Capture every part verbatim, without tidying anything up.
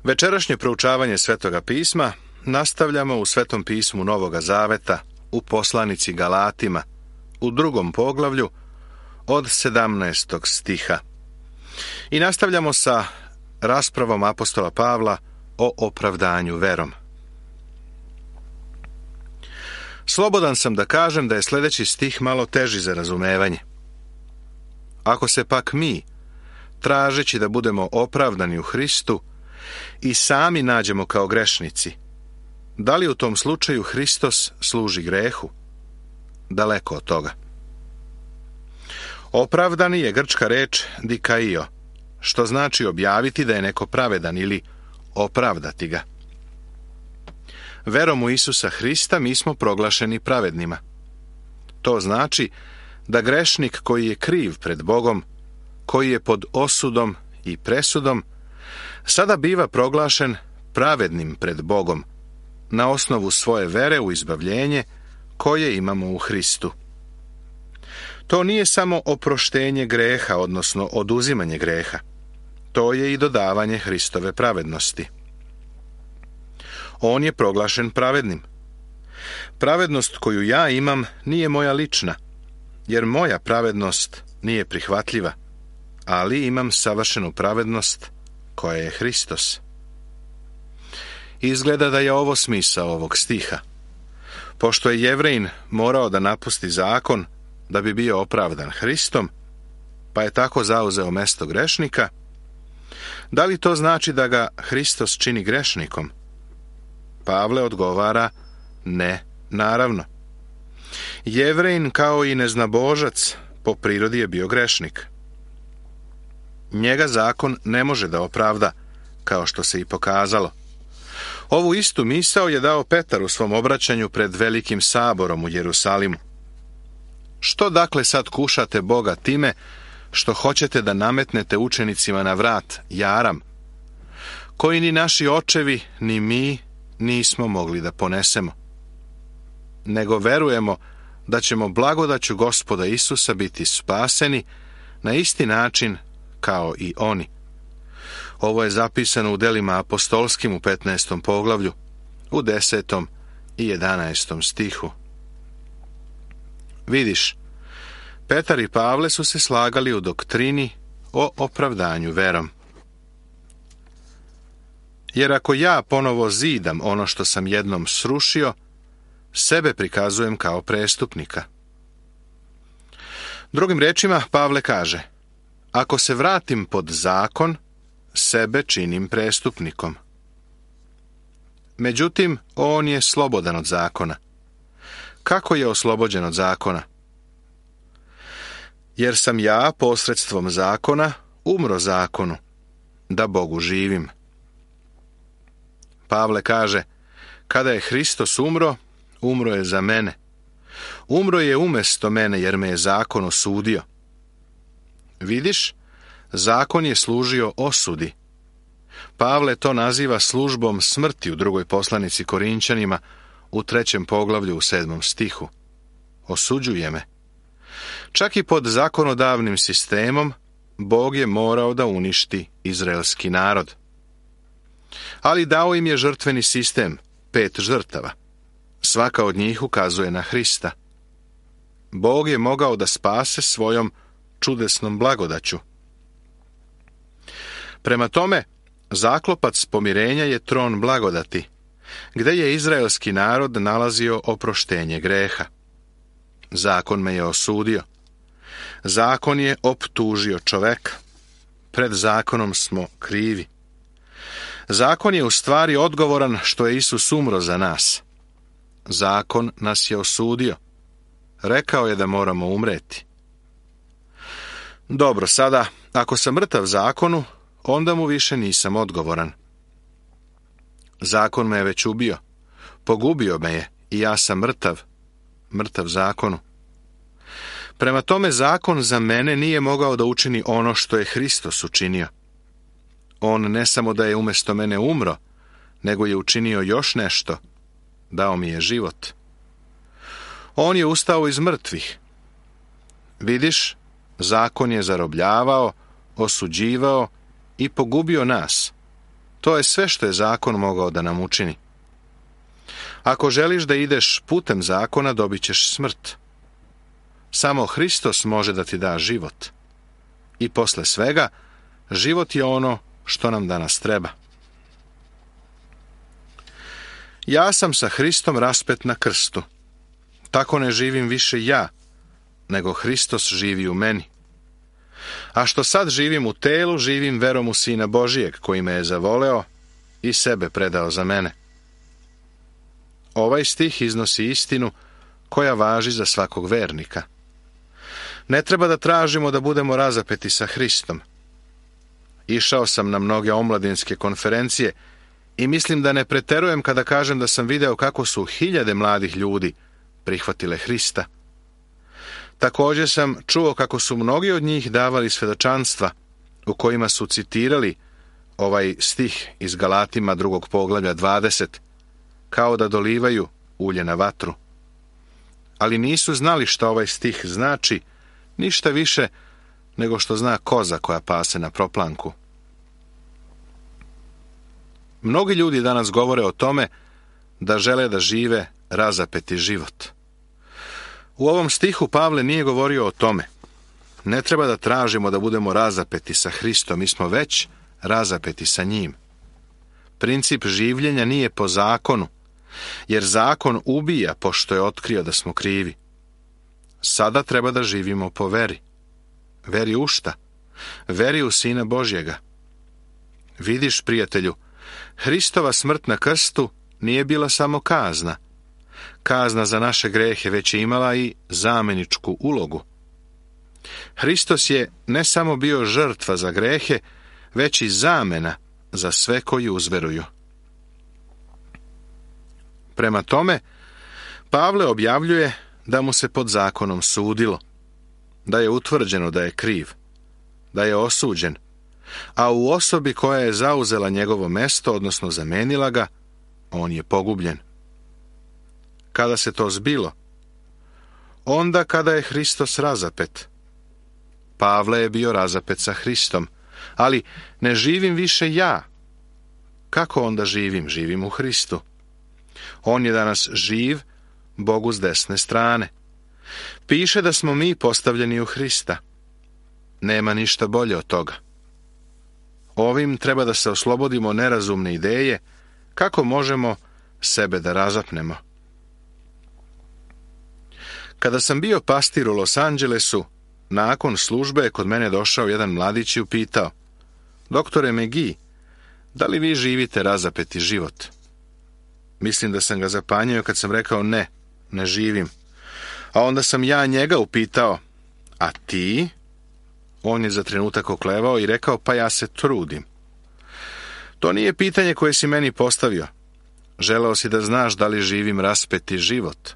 Večerašnje proučavanje Svetoga pisma nastavljamo u Svetom pismu Novoga Zaveta, u poslanici Galatima, u drugom poglavlju, od sedamnaestog stiha. I nastavljamo sa raspravom apostola Pavla o opravdanju verom. Slobodan sam da kažem da je sljedeći stih malo teži za razumevanje. Ako se pak mi, tražeći da budemo opravdani u Hristu, i sami nađemo kao grešnici, da li u tom slučaju Hristos služi grehu? Daleko od toga. Opravdani je grčka reč dikaio, što znači objaviti da je neko pravedan ili opravdati ga. Verom u Isusa Hrista mi smo proglašeni pravednima. To znači da grešnik koji je kriv pred Bogom, koji je pod osudom i presudom, sada biva proglašen pravednim pred Bogom na osnovu svoje vere u izbavljenje koje imamo u Hristu. To nije samo oproštenje greha, odnosno oduzimanje greha. To je i dodavanje Hristove pravednosti. On je proglašen pravednim. Pravednost koju ja imam nije moja lična, jer moja pravednost nije prihvatljiva, ali imam savršenu pravednost koja je Hristos. Izgleda da je ovo smisao ovog stiha. Pošto je Jevrejin morao da napusti zakon da bi bio opravdan Hristom, pa je tako zauzeo mesto grešnika, da li to znači da ga Hristos čini grešnikom? Pavle odgovara, ne, naravno. Jevrejin kao i neznabožac po prirodi je bio grešnik. Njega zakon ne može da opravda, kao što se i pokazalo. Ovu istu misao je dao Petar u svom obraćanju pred velikim saborom u Jerusalimu. Što dakle sad kušate Boga time što hoćete da nametnete učenicima na vrat jaram, koji ni naši očevi, ni mi nismo mogli da ponesemo? Nego verujemo da ćemo blagodaću Gospoda Isusa biti spaseni na isti način kao i oni. Ovo je zapisano u delima apostolskim u petnaestom poglavlju, u desetom i jedanaestom stihu. Vidiš, Petar i Pavle su se slagali u doktrini o opravdanju verom. Jer ako ja ponovo zidam ono što sam jednom srušio, sebe prikazujem kao prestupnika. Drugim rečima, Pavle kaže, ako se vratim pod zakon, sebe činim prestupnikom. Međutim, on je slobodan od zakona. Kako je oslobođen od zakona? Jer sam ja posredstvom zakona umro zakonu, da Bogu živim. Pavle kaže, kada je Hristos umro, umro je za mene. Umro je umjesto mene jer me je zakon osudio. Vidiš, zakon je služio osudi. Pavle to naziva službom smrti u drugoj poslanici Korinčanima u trećem poglavlju u sedmom stihu. Osuđuje me. Čak i pod zakonodavnim sistemom Bog je morao da uništi izraelski narod. Ali dao im je žrtveni sistem, pet žrtava. Svaka od njih ukazuje na Hrista. Bog je mogao da spase svojom čudesnom blagodaću. Prema tome, zaklopac pomirenja je tron blagodati, gde je izraelski narod nalazio oproštenje greha. Zakon me je osudio. Zakon je optužio čoveka. Pred zakonom smo krivi. Zakon je u stvari odgovoran što je Isus umro za nas. Zakon nas je osudio. Rekao je da moramo umreti. Dobro, sada, ako sam mrtav zakonu, onda mu više nisam odgovoran. Zakon me je već ubio. Pogubio me je i ja sam mrtav. Mrtav zakonu. Prema tome, zakon za mene nije mogao da učini ono što je Hristos učinio. On ne samo da je umjesto mene umro, nego je učinio još nešto. Dao mi je život. On je ustao iz mrtvih. Vidiš, zakon je zarobljavao, osuđivao i pogubio nas. To je sve što je zakon mogao da nam učini. Ako želiš da ideš putem zakona, dobit ćeš smrt. Samo Hristos može da ti da život. I posle svega, život je ono što nam danas treba. Ja sam sa Hristom raspet na krstu. Tako ne živim više ja, nego Hristos živi u meni. A što sad živim u telu, živim verom u Sina Božijeg, koji me je zavoleo i sebe predao za mene. Ovaj stih iznosi istinu koja važi za svakog vernika. Ne treba da tražimo da budemo razapeti sa Hristom. Išao sam na mnoge omladinske konferencije i mislim da ne preterujem kada kažem da sam video kako su hiljade mladih ljudi prihvatile Hrista. Također sam čuo kako su mnogi od njih davali svedočanstva u kojima su citirali ovaj stih iz Galatima drugog poglavlja dvadeset, kao da dolivaju ulje na vatru. Ali nisu znali šta ovaj stih znači, ništa više nego što zna koza koja pase na proplanku. Mnogi ljudi danas govore o tome da žele da žive razapeti život. U ovom stihu Pavle nije govorio o tome. Ne treba da tražimo da budemo razapeti sa Hristom, mi smo već razapeti sa njim. Princip življenja nije po zakonu, jer zakon ubija pošto je otkrio da smo krivi. Sada treba da živimo po veri. Veri u šta? Veri u Sina Božjega. Vidiš, prijatelju, Hristova smrt na krstu nije bila samo kazna. Kazna za naše grehe već je imala i zameničku ulogu. Hristos je ne samo bio žrtva za grehe, već i zamena za sve koji uzveruju. Prema tome, Pavle objavljuje da mu se pod zakonom sudilo, da je utvrđeno da je kriv, da je osuđen, a u osobi koja je zauzela njegovo mesto, odnosno zamenila ga, on je pogubljen. Kada se to zbilo? Onda kada je Hristos razapet. Pavle je bio razapet sa Hristom, ali ne živim više ja. Kako onda živim? Živim u Hristu. On je danas živ, Bogu s desne strane. Piše da smo mi postavljeni u Hrista. Nema ništa bolje od toga. Ovim treba da se oslobodimo nerazumne ideje kako možemo sebe da razapnemo. Kada sam bio pastir u Los Angelesu, nakon službe je kod mene došao jedan mladić i upitao: Doktore McGee, da li vi živite razapeti život? Mislim da sam ga zapanjio kad sam rekao ne, ne živim. A onda sam ja njega upitao: a ti? On je za trenutak oklevao i rekao: pa ja se trudim. To nije pitanje koje si meni postavio. Želeo si da znaš da li živim raspeti život.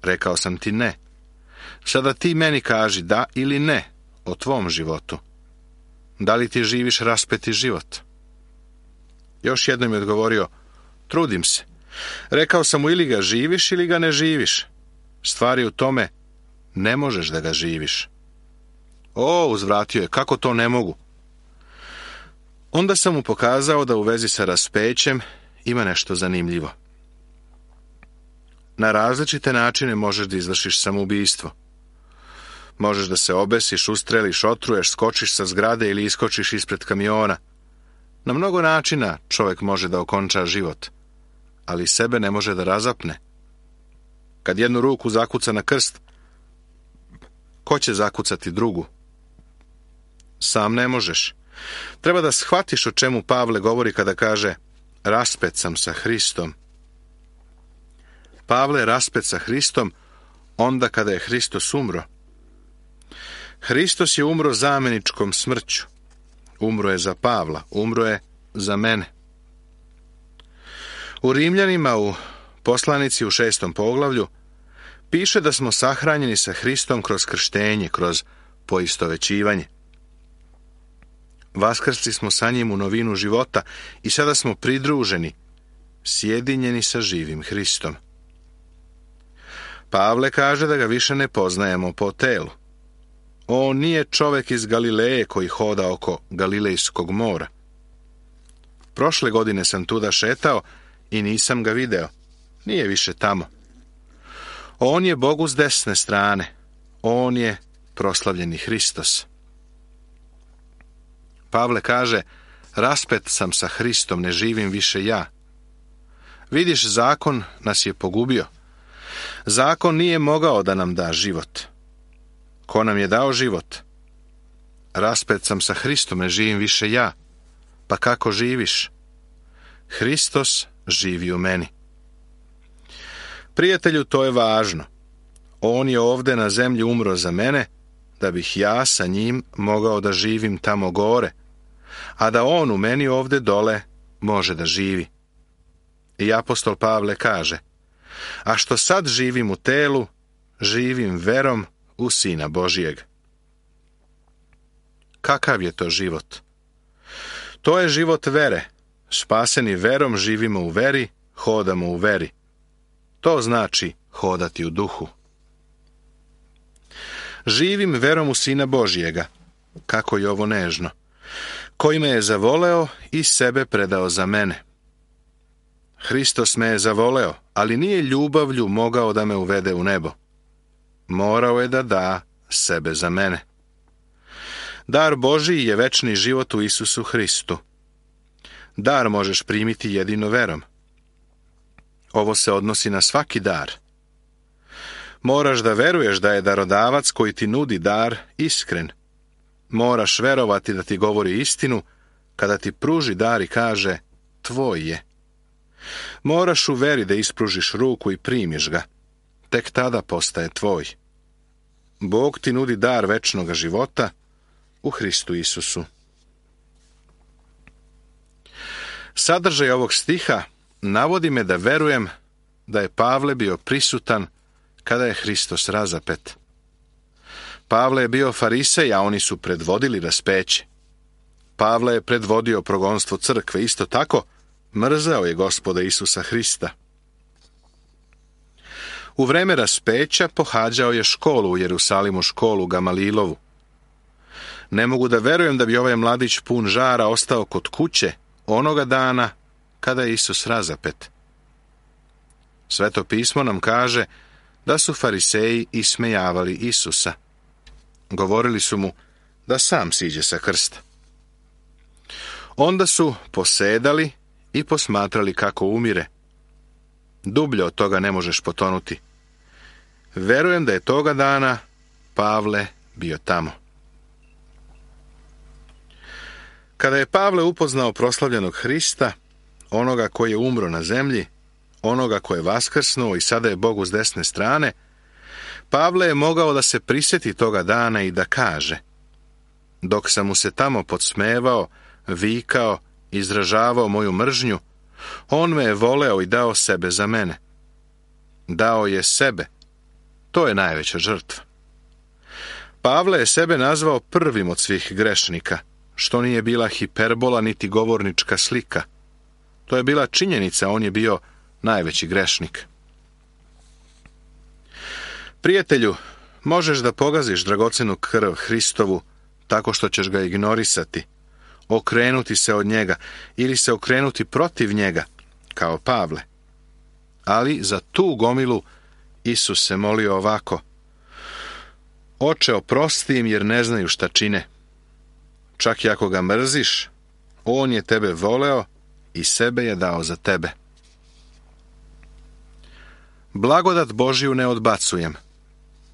Rekao sam ti ne. Sada ti meni kaži da ili ne o tvom životu. Da li ti živiš raspeti život? Još jednom je odgovorio: trudim se. Rekao sam mu: ili ga živiš ili ga ne živiš. Stvar je u tome, ne možeš da ga živiš. O, uzvratio je, kako to ne mogu? Onda sam mu pokazao da u vezi sa raspećem ima nešto zanimljivo. Na različite načine možeš da izvršiš samoubistvo. Možeš da se obesiš, ustreliš, otruješ, skočiš sa zgrade ili iskočiš ispred kamiona. Na mnogo načina čovjek može da okonča život, ali sebe ne može da razapne. Kad jednu ruku zakuca na krst, ko će zakucati drugu? Sam ne možeš. Treba da shvatiš o čemu Pavle govori kada kaže: raspet sam sa Hristom. Pavle je raspet sa Hristom onda kada je Hristos umro. Hristos je umro zameničkom smrću. Umro je za Pavla, umro je za mene. U Rimljanima u poslanici u šestom poglavlju piše da smo sahranjeni sa Hristom kroz krštenje, kroz poistovećivanje. Vaskrsli smo sa njim u novinu života i sada smo pridruženi, sjedinjeni sa živim Hristom. Pavle kaže da ga više ne poznajemo po telu. On nije čovjek iz Galileje koji hoda oko Galilejskog mora. Prošle godine sam tuda šetao i nisam ga video. Nije više tamo. On je Bogu s desne strane. On je proslavljeni Hristos. Pavle kaže, raspet sam sa Hristom, ne živim više ja. Vidiš, zakon nas je pogubio. Zakon nije mogao da nam da život. Ko nam je dao život? Raspet sam sa Hristom, ne živim više ja. Pa kako živiš? Hristos živi u meni. Prijatelju, to je važno. On je ovde na zemlji umro za mene, da bih ja sa njim mogao da živim tamo gore, a da on u meni ovde dole može da živi. I apostol Pavle kaže, a što sad živim u telu, živim verom u Sina Božijeg. Kakav je to život? To je život vere. Spaseni verom živimo u veri, hodamo u veri. To znači hodati u duhu. Živim verom u Sina Božijega, kako je ovo nežno, koji me je zavoleo i sebe predao za mene. Hristos me je zavoleo, ali nije ljubavlju mogao da me uvede u nebo. Morao je da da sebe za mene. Dar Božiji je večni život u Isusu Hristu. Dar možeš primiti jedino verom. Ovo se odnosi na svaki dar. Moraš da veruješ da je darodavac koji ti nudi dar iskren. Moraš verovati da ti govori istinu kada ti pruži dar i kaže tvoj je. Moraš u veri da ispružiš ruku i primiš ga. Tek tada postaje tvoj. Bog ti nudi dar večnog života u Hristu Isusu. Sadržaj ovog stiha navodi me da verujem da je Pavle bio prisutan kada je Hristos razapet. Pavle je bio farisej, a oni su predvodili raspeće. Pavle je predvodio progonstvo crkve, isto tako mrzeo je Gospoda Isusa Hrista. U vreme raspeća pohađao je školu u Jerusalimu, školu Gamalilovu. Ne mogu da verujem da bi ovaj mladić pun žara ostao kod kuće onoga dana kada je Isus razapet. Sveto pismo nam kaže da su fariseji ismejavali Isusa. Govorili su mu da sam siđe sa krsta. Onda su posedali i posmatrali kako umire. Dublje od toga ne možeš potonuti. Verujem da je toga dana Pavle bio tamo. Kada je Pavle upoznao proslavljenog Hrista, onoga koji je umro na zemlji, onoga koji je vaskrsnuo i sada je Bogu s desne strane, Pavle je mogao da se prisjeti toga dana i da kaže: dok sam mu se tamo podsmevao, vikao, izražavao moju mržnju, on me je voleo i dao sebe za mene. Dao je sebe. To je najveća žrtva. Pavle je sebe nazvao prvim od svih grešnika, što nije bila hiperbola niti govornička slika. To je bila činjenica, on je bio najveći grešnik. Prijatelju, možeš da pogaziš dragocenu krv Hristovu tako što ćeš ga ignorisati, okrenuti se od njega ili se okrenuti protiv njega, kao Pavle. Ali za tu gomilu Isus se molio ovako: Oče, oprosti im jer ne znaju šta čine. Čak i ako ga mrziš, on je tebe voleo i sebe je dao za tebe. Blagodat Božiju ne odbacujem,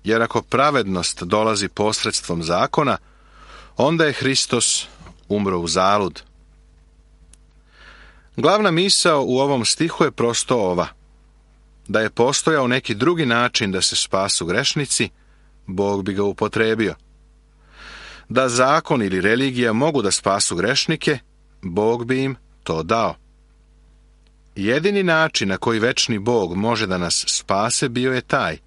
jer ako pravednost dolazi posredstvom zakona, onda je Hristos umro u zalud. Glavna misao u ovom stihu je prosto ova: da je postojao neki drugi način da se spasu grešnici, Bog bi ga upotrebio. Da zakon ili religija mogu da spasu grešnike, Bog bi im to dao. Jedini način na koji večni Bog može da nas spase bio je taj: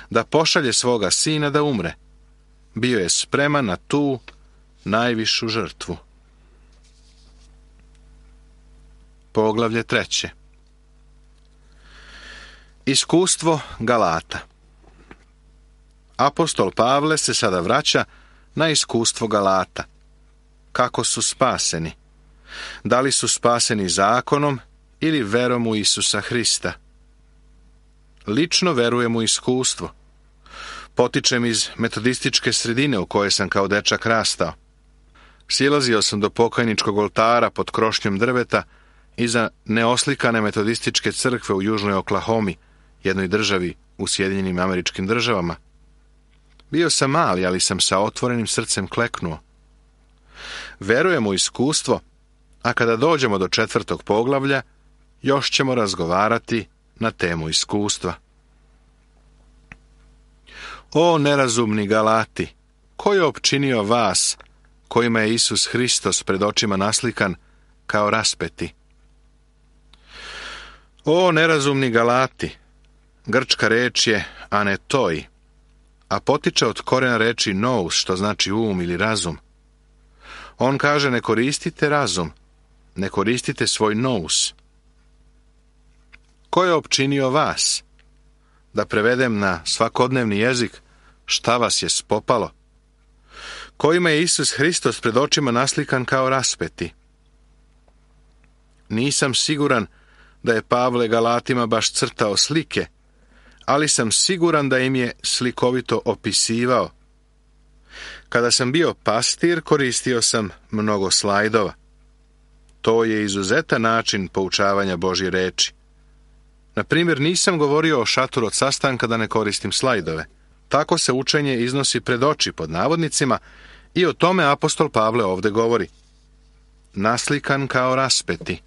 da pošalje svoga sina da umre. Bio je spreman na tu najvišu žrtvu. Poglavlje treće. Iskustvo Galata. Apostol Pavle se sada vraća na iskustvo Galata. Kako su spaseni. Da li su spaseni zakonom ili verom u Isusa Hrista? Lično verujem u iskustvo. Potičem iz metodističke sredine u kojoj sam kao dečak rastao. Silazio sam do pokajničkog oltara pod krošnjom drveta iza neoslikane metodističke crkve u južnoj Oklahomi, jednoj državi u Sjedinjenim Američkim Državama. Bio sam mali, ali sam sa otvorenim srcem kleknuo. Verujem u iskustvo, a kada dođemo do četvrtog poglavlja, još ćemo razgovarati na temu iskustva. O nerazumni Galati, ko je opčinio vas, kojima je Isus Hristos pred očima naslikan kao raspeti? O nerazumni Galati, grčka reč je anetoi, a potiče od korena reči nous, što znači um ili razum. On kaže, ne koristite razum, ne koristite svoj nous. Ko je opčinio vas? Da prevedem na svakodnevni jezik, šta vas je spopalo? Kojima je Isus Hristos pred očima naslikan kao raspeti? Nisam siguran da je Pavle Galatima baš crtao slike, ali sam siguran da im je slikovito opisivao. Kada sam bio pastir, koristio sam mnogo slajdova. To je izuzetan način poučavanja Božje reči. Na primjer, nisam govorio o šatoru od sastanka da ne koristim slajdove. Tako se učenje iznosi pred oči pod navodnicima i o tome apostol Pavle ovdje govori. Naslikan kao raspeti.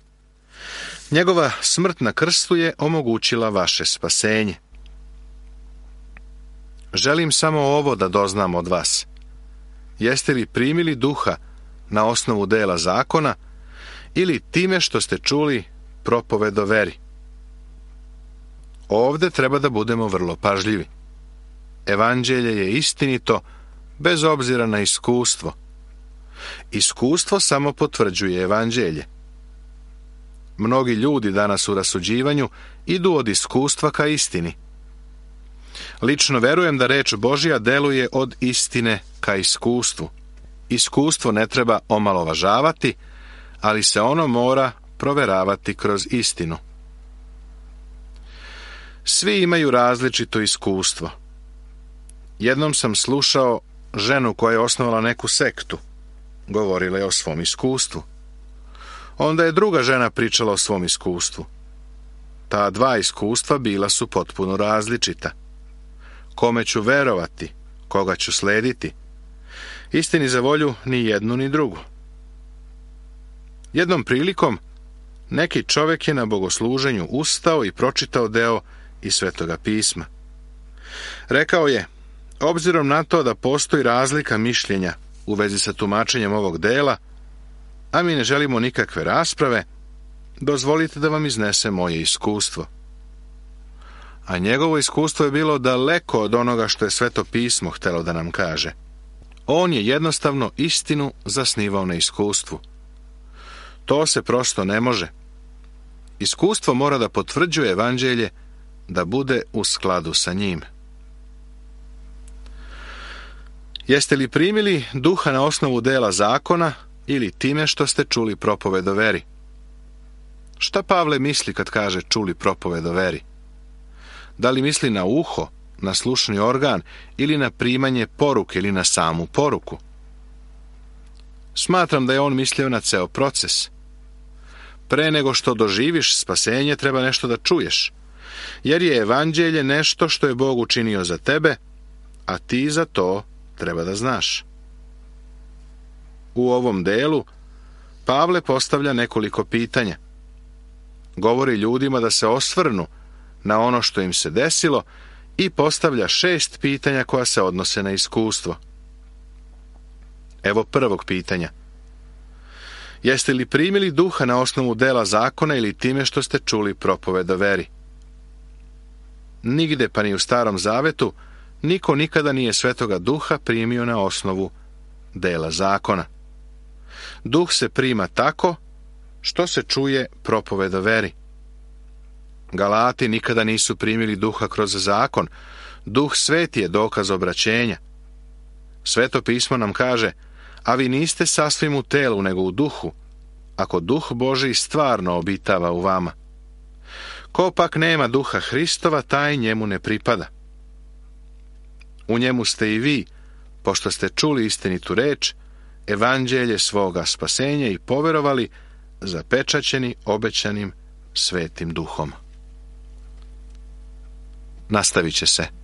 Njegova smrt na krstu je omogućila vaše spasenje. Želim samo ovo da doznam od vas. Jeste li primili duha na osnovu dela zakona ili time što ste čuli propoved o veri? Ovdje treba da budemo vrlo pažljivi. Evanđelje je istinito bez obzira na iskustvo. Iskustvo samo potvrđuje evanđelje. Mnogi ljudi danas u rasuđivanju idu od iskustva ka istini. Lično verujem da reč Božja deluje od istine ka iskustvu. Iskustvo ne treba omalovažavati, ali se ono mora proveravati kroz istinu. Svi imaju različito iskustvo. Jednom sam slušao ženu koja je osnovala neku sektu. Govorila je o svom iskustvu. Onda je druga žena pričala o svom iskustvu. Ta dva iskustva bila su potpuno različita. Kome ću verovati, koga ću slediti? Istini za volju ni jednu ni drugu. Jednom prilikom neki čovjek je na bogosluženju ustao i pročitao deo iz Svetoga pisma. Rekao je, obzirom na to da postoji razlika mišljenja u vezi sa tumačenjem ovog dela, a mi ne želimo nikakve rasprave, dozvolite da vam iznesem moje iskustvo. A njegovo iskustvo je bilo daleko od onoga što je Sveto pismo htjelo da nam kaže. On je jednostavno istinu zasnivao na iskustvu. To se prosto ne može. Iskustvo mora da potvrđuje evanđelje, da bude u skladu sa njim. Jeste li primili duha na osnovu dela zakona ili time što ste čuli propoved o veri? Šta Pavle misli kad kaže čuli propoved o veri? Da li misli na uho, na slušni organ ili na primanje poruke ili na samu poruku? Smatram da je on mislio na ceo proces. Pre nego što doživiš spasenje, treba nešto da čuješ, jer je evanđelje nešto što je Bog učinio za tebe, a ti za to treba da znaš. U ovom delu Pavle postavlja nekoliko pitanja. Govori ljudima da se osvrnu na ono što im se desilo i postavlja šest pitanja koja se odnose na iskustvo. Evo prvog pitanja. Jeste li primili duha na osnovu dela zakona ili time što ste čuli propoved o veri? Nigde pa ni u Starom Zavetu niko nikada nije Svetoga Duha primio na osnovu dela zakona. Duh se prima tako što se čuje propoved o veri. Galati nikada nisu primili duha kroz zakon. Duh Sveti je dokaz obraćenja. Sveto pismo nam kaže, a vi niste sasvim u telu nego u duhu, ako duh Božji stvarno obitava u vama. Ko pak nema duha Hristova, taj njemu ne pripada. U njemu ste i vi, pošto ste čuli istinitu reč, evanđelje svoga spasenja i poverovali, zapečaćeni obećanim svetim duhom. Nastavit će se.